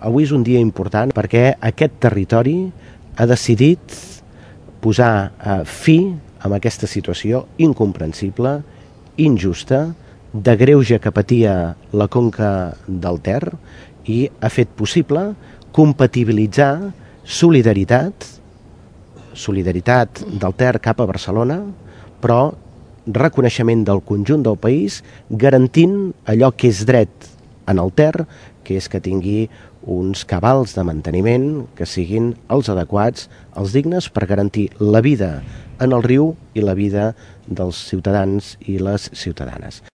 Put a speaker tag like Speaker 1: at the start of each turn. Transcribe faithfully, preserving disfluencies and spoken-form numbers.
Speaker 1: Avui és un dia important perquè aquest territori ha decidit posar eh, fi a aquesta situació incomprensible, injusta, de greuge que patia la conca del Ter i ha fet possible compatibilitzar solidaritat, solidaritat del Ter cap a Barcelona, però reconeixement del conjunt del país, garantint allò que és dret en el Ter, que és que tingui uns cabals de manteniment que siguin els adequats, els dignes, per garantir la vida en el riu i la vida dels ciutadans i les ciutadanes.